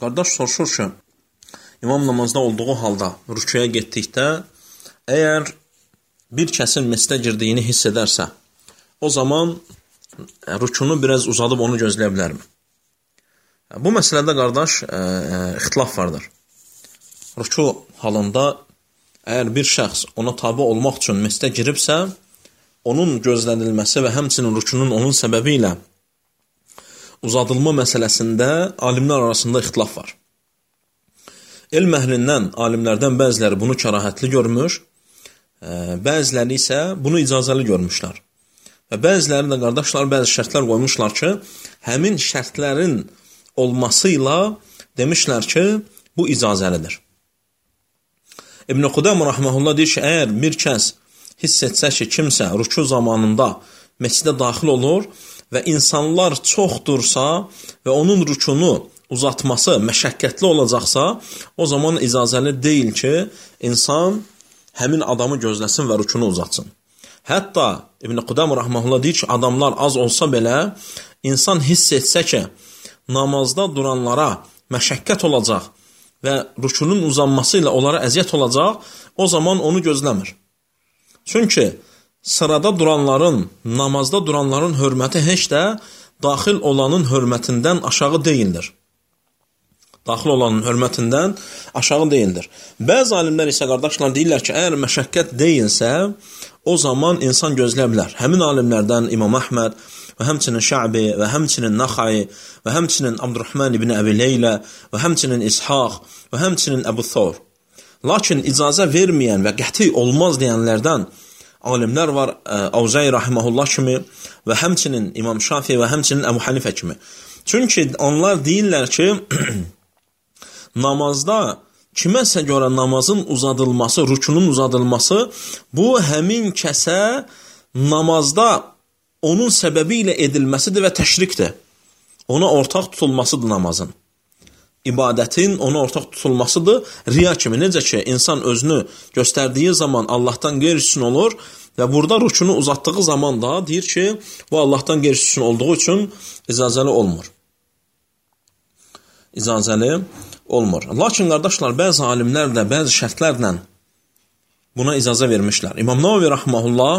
Qardaş soruşur ki, imam namazda olduğu halda rüküyə getdikdə, əgər bir kəsin məscidə girdiyini hiss edərsə, o zaman rükunu biraz uzadıb onu gözləyə bilərmi? Bu məsələdə, qardaş, ixtilaf vardır. Rükü halında əgər bir şəxs ona tabi olmaq üçün məscidə giribsə, onun gözlənilməsi və həmçinin rükunun onun səbəbi ilə uzadılma məsələsində alimlər arasında ixtilaf var. Elm əhlindən, alimlərdən bəziləri bunu kərahətli görmüş, bəziləri isə bunu icazəli görmüşlər. Və bəziləri də, qardaşlar, bəzi şərtlər qoymuşlar ki, həmin şərtlərin olması ilə demişlər ki, bu icazəlidir. İbn-i Qudam rəhməhullah deyir ki, əgər bir kəs hiss etsə ki, kimsə rükû zamanında məscidə daxil olur və insanlar çoxdursa və onun rükunu uzatması məşəqqətli olacaqsa, o zaman icazəli deyil ki, insan həmin adamı gözləsin və rükunu uzatsın. Hətta İbn-i Qudam rəhməhullah deyir ki, adamlar az olsa belə, insan hiss etsə ki, namazda duranlara məşəqqət olacaq və rükunun uzanması ilə onlara əziyyət olacaq, o zaman onu gözləmir. Çünki sırada duranların, namazda duranların hörməti heç də daxil olanın hörmətindən aşağı deyildir. Daxil olanın hörmətindən aşağı deyildir. Bəzi alimlər isə, qardaşlar, deyirlər ki, əgər məşəqqət deyilsə, o zaman insan gözləyə bilər. Həmin alimlərdən İmam Əhməd və həmçinin Şə'bi və həmçinin Naxai və həmçinin Abdurrahman ibn Əbi Leylə və həmçinin İshaq və həmçinin Əbu Thawr. Lakin icazə verməyən və qəti olmaz deyənlərdən alimlər var, Avzai rahimehullah kimi və həmçinin İmam Şafi və həmçinin Əbu Hanifə kimi. Çünki onlar deyirlər ki, namazda kiməsə görə namazın uzadılması, rükunun uzadılması, bu həmin kəsə namazda onun səbəbi ilə edilməsidir və təşrikdir. Ona ortaq tutulmasıdır namazın. İbadətin ona ortaq tutulmasıdır, riya kimi. Necə ki, insan özünü göstərdiyi zaman Allahdan qeyri-üstün olur və burada rükunu uzatdığı zaman da deyir ki, bu Allahdan qeyri-üstün olduğu üçün icazəli olmur. İcazəli olmur. Lakin, qardaşlar, bəzi alimlər də bəzi şərtlərlə buna icazə vermişlər. İmam Navavi rəhməhullah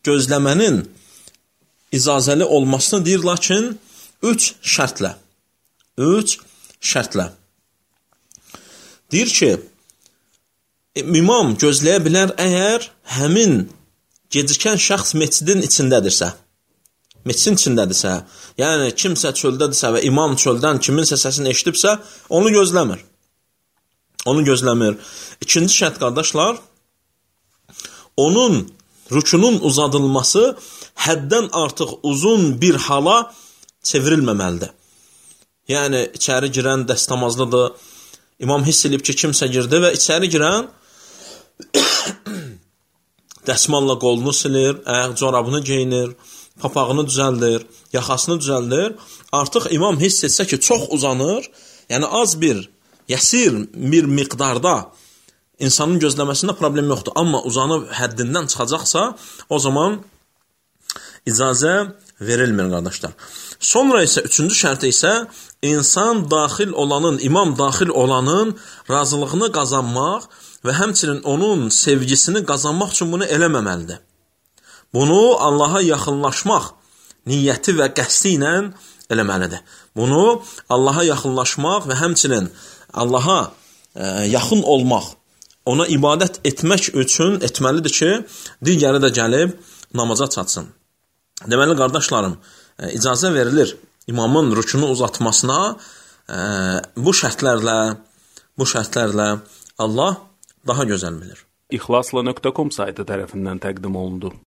gözləmənin icazəli olmasını deyir, lakin 3 şərtlə. Deyir ki, imam gözləyə bilər əgər həmin gecikən şəxs məscidin içindədirsə, yəni kimsə çöldədirsə və imam çöldən kiminsə səsini eşidibsə, onu gözləmir. İkinci şərt, qardaşlar, onun rükunun uzadılması həddən artıq uzun bir hala çevrilməməlidir. Yəni, içəri girən dəstəmazlıdır. İmam hiss edib ki, kimsə girdi və içəri girən dəsmalla qolunu silir, corabını geyinir, papağını düzəldir, yaxasını düzəldir. Artıq imam hiss etsə ki, çox uzanır, yəni az bir, yəsir bir miqdarda insanın gözləməsində problem yoxdur. Amma uzanıb həddindən çıxacaqsa, o zaman icazə verilmir, qardaşlar. Sonra isə, üçüncü şərti isə, insan daxil olanın, imam daxil olanın razılığını qazanmaq və həmçinin onun sevgisini qazanmaq üçün bunu eləməməlidir. Bunu Allaha yaxınlaşmaq niyyəti və qəsdi ilə eləməlidir. Bunu Allaha yaxınlaşmaq və həmçinin Allaha yaxın olmaq, ona ibadət etmək üçün etməlidir ki, digəri də gəlib namaza çatsın. Deməli, qardaşlarım, icazə verilir imamın rükunu uzatmasına bu şərtlərlə Allah daha gözəl bilir. İxlasla.com saytı tərəfindən təqdim olundu.